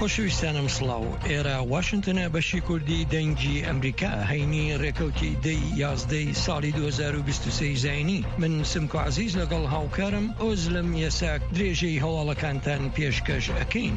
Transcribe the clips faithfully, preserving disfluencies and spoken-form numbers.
خۆشەویستانم سڵاو، ئێرە واشنگتنە، بەشی کوردی دەنگی ئەمریکا، هەینی ڕێکەوتی دەی یازدەی ساڵی دوو هەزار و بیست و سێ زاینی. من سمکۆ عەزیز لەگەڵ هاوکارم ئۆزلم یەساک درێژەی هەواڵەکانتان پێشکەش ئەکەین.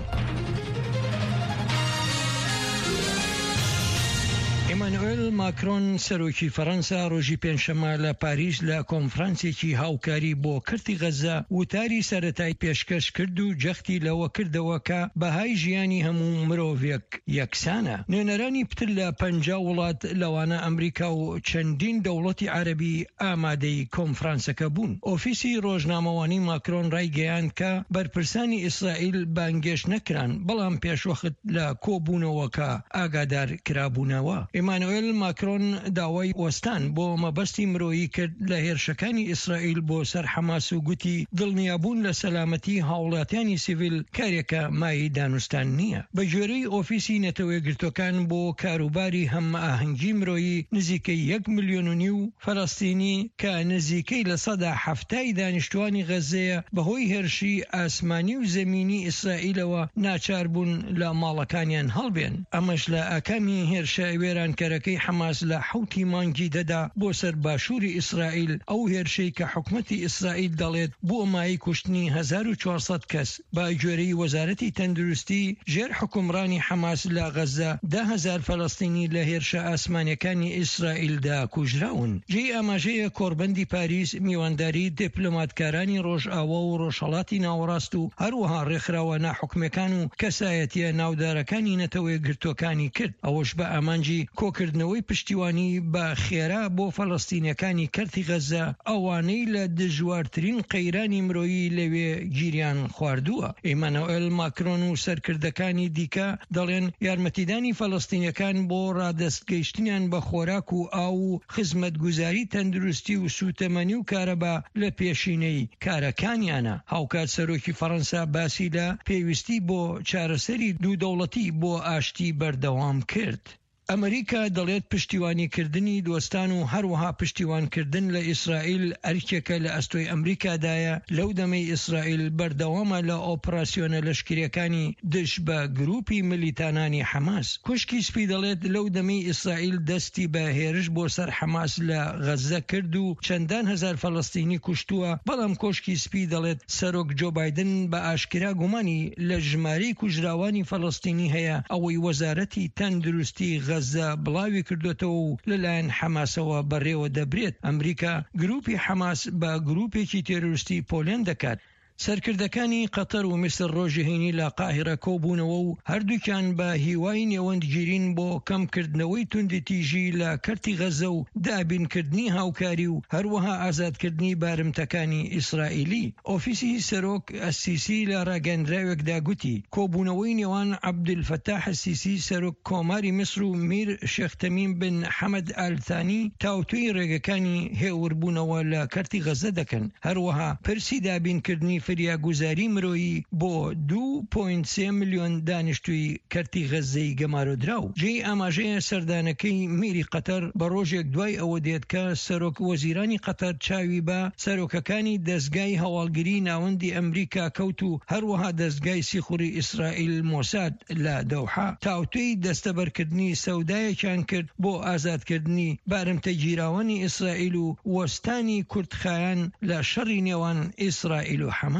ئیمانوئل ماکرۆن، سەرۆکی فەڕەنسا، ڕۆژی پێنجشەممە لە پاریس لە کۆنفرانسێکی هاوکاری بۆ کەرتی غەزە وتاری سەرەتای پێشکەش کرد و جەختی لەوە کردەوە کە بەهای ژیانی هەموو مرۆڤێک یەکسانە. نوێنەرانی پتر لە پەنجا وڵات، لەوانە ئەمریکا و چەندین دەوڵەتی عەرەبی، ئامادەی کۆنفرانسەکە بوون. ئۆفیسی ڕۆژنامەوانی ماکرۆن ڕایگەیاند کە بەرپرسانی ئیسرائیل بانگێشت نەکران، بەڵام پێشوەخت لە کۆبوونەوەکە ئاگادار کرابوونەوە. ئیمانوئل ماکرۆن داوای وەستان بۆ مەبەستی مرۆیی کرد لە هێرشەکانی ئیسرائیل بۆ سەر حەماس و گوتی دڵنیابوون لە سەلامەتی هاوڵاتیانی سیڤیل کارێکە مایەی دانوستان نییە. بە گوێرەی ئۆفیسی نەتەوە یەکگرتووەکان، بۆ کاروباری هەماهەنگی مرۆیی، نزیکەی یەک ملیۆن و نیو فەلەستینی کە نزیکەی لە سەدا حەفتای دانیشتوانی غەزەیە، بەهۆی هێرشی ئاسمانی و زەمینی ئیسرائیلەوە ناچار بوون لە ماڵەکانیان هەڵبێن. ئەمەش لە ئاکامی هێرشە وێرانکەرەکەی حەماس لە حەوتی مانگی دەدا بۆ سەر باشووری ئیسرائیل، ئەو هێرشەی کە حکومەتی ئیسرائیل دەڵێت بووە مایەی کوشتنی هەزار و چوارسەد کەس. بە گوێرەی وەزارەتی تەندروستی، ژێر حکومڕانی حەماس لە غەزە، دە هەزار فەلەستینی لە هێرشە ئاسمانیەکانی ئیسرائیلدا کوژراون. جێی ئاماژەیە کۆڕبەندی پاریس میوانداری دیپلۆماتکارانی ڕۆژئاوا و ڕۆژهەڵاتی ناوەڕاست و هەروەها ڕێکخراوە ناحکومەکان و کەسایەتیە ناودارەکانی نەتەوە یەکگرتووەکانی کرد، ئەوەش بە ئامانجی کۆکردنەوەی پشتیوانی بە خێرا بۆ فەلەستینیەکانی کەرتی غەزە، ئەوانەی لە دژوارترین قەیرانی مرۆیی لەوێ گیریان خواردووە. ئیمانوئل ماکرۆن و سەرکردەکانی دیکە دەڵێن یارمەتیدانی فەلەستینیەکان بۆ ڕادەستگەیشتنیان بە خۆراک و ئاو و خزمەتگوزاری تەندروستی و سوتەمەنی و کارەبا لە پێشینەی کارەکانیانە. هاوکات سەرۆکی فەڕەنسا باسی لە پێویستی بۆ چارەسەری دوو دەوڵەتی بۆ ئاشتی بەردەوام کرد. ئەمریکا دەڵێت پشتیوانیکردنی دۆستان و هەروەها پشتیوانکردن لە ئیسرائیل ئەرکێکە لە ئەستۆی ئەمریکادایە، لەو دەمەی ئیسرائیل بەردەوامە لە ئۆپراسیۆنە لەشکریەکانی دژ بە گروپی ملیتانانی حەماس. کوشکی سپی دەڵێت لەو دەمەی ئیسرائیل دەستی بە هێرش بۆ سەر حەماس لە غەزە کرد و چەندان هەزار فەلەستینی کوشتووە، بەڵام کۆشکی سپی دەڵێت سەرۆک جۆ بایدن بە ئاشکرا گومانی لە ژمارەی کوژراوانی فەلەستینی هەیە، ئەوەی وەزارەتی تەندروستی غەزە بڵاوی کردوتەوە و لەلایەن حەماسەوە بەڕێوە دەبرێت. ئەمریکا گروپی حەماس بە گروپێکی تێرۆریستی پۆلێن دەکات. سەرکردەکانی قەتەر و میسر ڕۆژی هەینی لە قاهیرە کۆبوونەوە و هەردووکیان بە هیوای نێوەندگیرین بۆ کەمکردنەوەی توندی تیژی لە کەرتی غەزە و دابینکردنی هاوکاری و هەروەها ئازادکردنی بارمتەکانی ئیسرائیلی. ئۆفیسی سەرۆک ئەسیسی لە ڕاگەندراوێکدا گوتی کۆبوونەوەی نێوان عەبدولفەتاح ئەسیسی، سەرۆک کۆماری میسر، و میر شێخ تەمیم بن حەمەد ئالتانی تاوتوی ڕێگەکانی هێوربوونەوە لە کەرتی غەزە دەکەن. هەروەها پرسی دابینکردنی فریاگوزاری مرۆیی بۆ دوو پۆینت سێ ملیۆن دانیشتووی کەرتی غەزەی گەمارۆدراو. جێی ئاماژەیە سەردانەکەی میری قەتەر بە ڕۆژێک دوای ئەوە دێت کە سەرۆک وەزیرانی قەتەر چاوی بە سەرۆکەکانی دەستگای هەواڵگری ناوەندی ئەمریکا کەوت و هەروەها دەستگای سیخوری ئیسرائیل مۆساد لە دەوحە تاوتوی دەستەبەرکردنی سەودایەکیان کرد بۆ ئازادکردنی بارمتە گیراوانی ئیسرائیل و وەستانی کورتخایەن لە شەڕی نێوان ئیسرائیل و حەماس.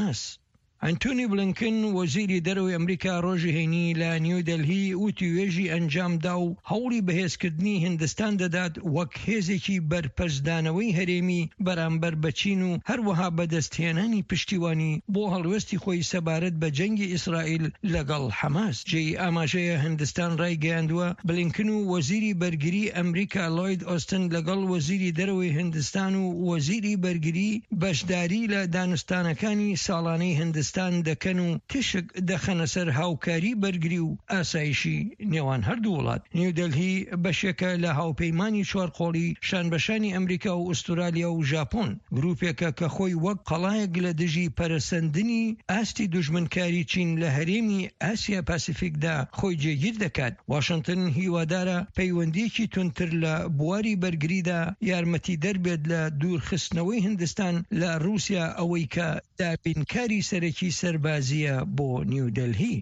ئەنتونی بلینکن، وەزیری دەرەوەی ئەمریکا، ڕۆژی هەینی لە نیو دەلهی وتیوێژی ئەنجامدا و هەوڵی بەهێزکردنی هندستان دەدات وەک هێزێکی بەرپەرچدانەوەی هەرێمی بەرامبەر بە چین و هەروەها بەدەستهێنانی پشتیوانی بۆ هەڵوێستی خۆی سەبارەت بە جەنگی ئیسرائیل لەگەڵ حەماس. جێی ئاماژەیە هندستان ڕایگەیاندووە بلینکن و وەزیری بەرگری ئەمریکا لۆید ئۆستن لەگەڵ وەزیری دەرەوەی هندستان و وەزیری بەرگری بەشداری لە دانوستانەکانی ساڵانەی هندستان دەکەن و تیشک دەخەنە سەر هاوکاری بەرگری و ئاسایشی نێوان هەردوو وڵات. نیودەلهی بەشێکە لە هاوپەیمانی چوارقۆڵی شانبەشانی ئەمریکا و ئوسترالیا و ژاپۆن، گروپێکە کە خۆی وەک قەڵایەک لە دژی پەرەسەندنی ئاستی دوژمنکاری چین لە هەرێمی ئاسیا پاسیفیکدا خۆی جێگیر دەکات. واشنگتن هیوادارە پەیوەندیەکی تونتر لە بواری بەرگریدا یارمەتی دەربێت لە دوورخستنەوەی هندستان لە رووسیا، ئەوەی کە دابینکاری سەرەکی سەربازیە بۆ نیودەلهی.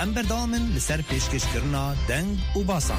Em berdewam in li ser pêşkêşkirina deng û basan.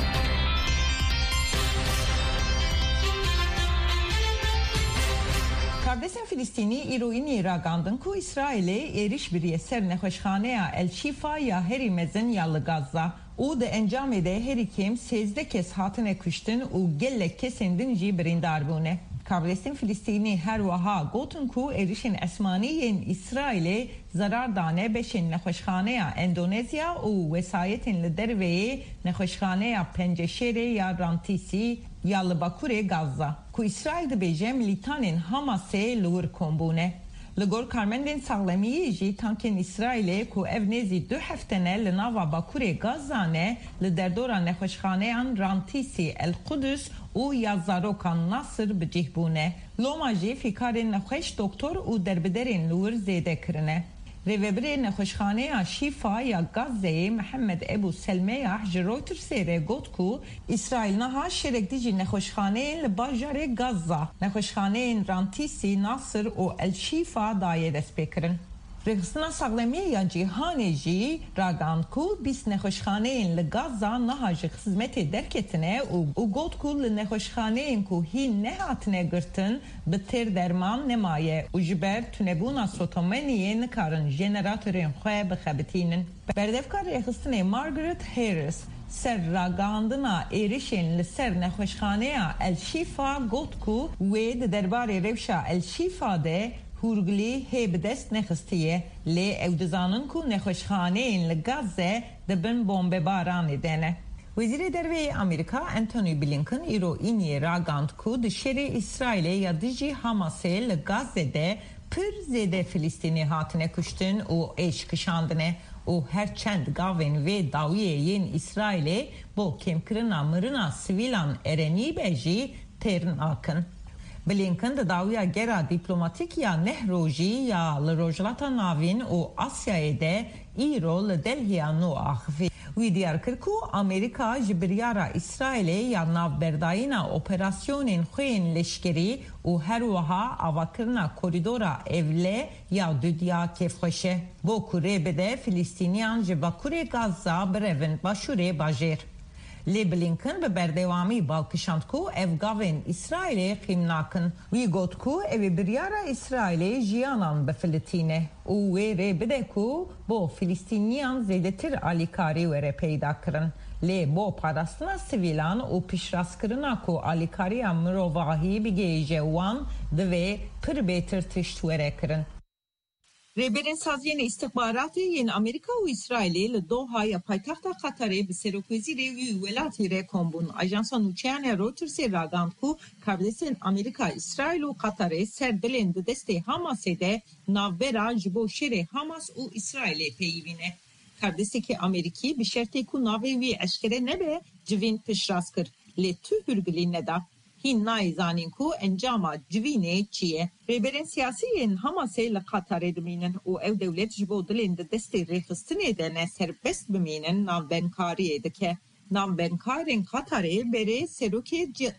Kardesên Filistînî îro înî ragandin ku Îsraîlê êrîş biriye ser nexweşxaneya El Şîfa ya herî mezin ya li Gazza û di encamê de herî kêm sêzdeh kes hatine kuştin û gelek kesên din jî birîndar bûne. Kardesên Filistînî her wiha gotin ku êrişên esmanî yên Îsraîlê zerar dane beşên nexweşxaneya Endonezya û wesayetên li derveyê nexweşxaneya Penceşêrê ya Rantîsî ya li bakurê Gazza, ku Îsraîl dibêje milîtanên Hamasê li wir kom bûne. Li gor karmendên saxlemiyê jî tankên Îsraîlê ku ev nêzî du hefte ne li nava bakurê Gazza ne, li derdora nexweşxaneyan Rantîsî, El Qudus û ya zarokan Nasir bi cih bûne. Loma jî fîkarên nexweş, doktor û derbiderên li wir zêde kirine. Rêvebirê Nexweşxaneya Şîfa ya Gazze'yê Mihemed Ebû Selmeyah ji Reuters'ê re got ku Îsraîl niha şerek dijî nexweşxaneyên li bajarê Gazza, nexweşxaneyên Rantîsî, Nasir û El Şîfa daye destpêkirin. Rêxistina Saxlemiyê ya Cîhanê jî ragihand ku bîst nexweşxaneyên li Gazza niha ji xizmetê derketine û û got ku li nexweşxaneyên ku hîn nehatine girtin, bi têr derman nemaye û ji ber tunebûna sotemeniyê nikarin jeneratorên xwe bixebitînin. Berdevka rêxistinê Margaret Harris ser ragihandina êrişên li ser nexweşxaneya El Şîfa got ku wê di derbarê rewşa El Şîfa de hûrgilî hê bi dest nexistiye, lê ew dizanin ku nexweşxaneyên li Gazze di bin bombebaranê de ne. Wezîrê Derve yê Amerîka Antony Blinken îro îniyê ragand ku di şerê Îsraîlê ya dijî Hamasê li Gazze de pir zêde Filistînî hatine kuştin û êş kişandine û her çend gavên vê dawiyê yên Îsraîlê bo kêmkirina mirina sivîlan erenî be jî têr nakin. Blinken di dawiya gera dîplomatîk ya neh rojî ya li Rojhilata Navîn û Asyayê de îro li Delhiya nû axivî. Wî diyar kir ku Amerîka ji biryara Îsraîlê ya navberdayîna operasyonên xwe yên leşkerî û her wiha avakirina korîdora ewle ya dudiya kêfxweş e, bo ku rê bide Filistîniyan ji bakurê Gazza birevin başûrê bajêr. Lê Blinken bi berdewamî bal kişand ku ev gavên Îsraîlê qîm nakin. Wî got ku ew ê biryara Îsraîlê jiyanan bifilitîne û wê rê bide ku bo Filistîniyan zêdetir alîkarî were peyda kirin. Lê bo parastina sivîlan û piştrastkirina ku alîkariya mirovahî bigihêje wan, divê pir bêtir tişt were kirin. Rêberên Saziyên Îstixbaratê yên Amerîka û Îsraîlê li Doha ya paytexta Qatarê bi serokwezîrê wî welatî re kom bûn. Ajansa nûçeyan ya Reutersê ragihand ku karbidestên Amerîka, Îsraîl û Qatarê ser dilên di destê Hamasê de navbera ji bo şerê Hamas û Îsraîlê peyivîne. Karbidestekî Amerîkî bi şertê ku navê wî eşkere nebe, civîn piştrast kir, lê tu hûrgilî neda. Hîn nayê zanîn ku encama civînê çi ye. Rêberên siyasî yên Hamasê li Qatarê dimînin û ew dewlet ji bo dilên di destê rêxistinê de ne serbest bimînin navbenkariyê dike. Navbenkarên Qatarê berê serokê ci-,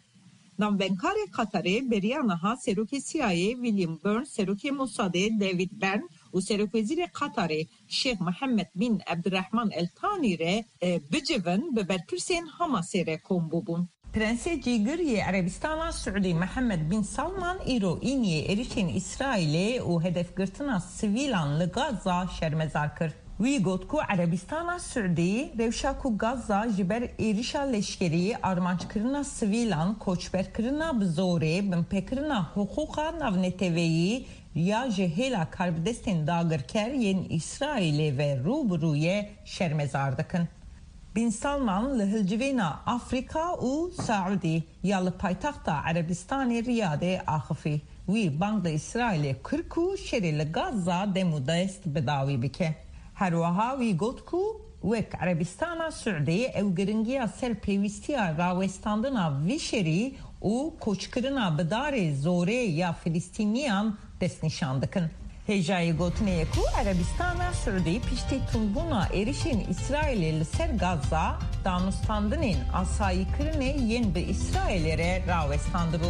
navbenkarê Qatarê beriya niha serokê C I A William Burns, serokê Mossadê David Bern û serokwezîrê Qatarê Şêx Mihemed bin Ebdirehman El Tanî re, e, bicivin bi berpirsên Hamasê re kom bûbûn. Prensê Cîgir yê Erebistana Siûdî Mihemed bin Salman îro îniyê êrişên Îsraîlê û hedefgirtina sivîlan li Gaza şermezar kir. Wî got ku Erebistana Siûdî rewşa ku Gaza ji ber êrişa leşkerî, armanckirina sivîlan, koçberkirina bi zorê, binpêkirina hiqûqa navneteweyî ya ji hêla karbidestên dagirker yên Îsraîlê ve rû bi rû ye, şermezar dikin. Bin Salman li hilcivîna Afrîka û Saûdî ya li paytexta Erebistanê Riyadê axifî. Wî bang li Îsraîlê kir ku şerê li Gaza dem û dest bi dawî bike. Her wiha wî got ku wek Erebistana Siûdî ew giringiya ser pêwîstiya rawestandina vî şerî û koçkirina bi darê zorê ya Filistîniyan destnîşan dikin. Hêjayî gotinê ye ku Erebistana Siûdî piştî tundbûna êrişên Îsraîlê li ser Gaza, danûstandinên asayîkirinê yên bi Îsraîlê re rawestandibû.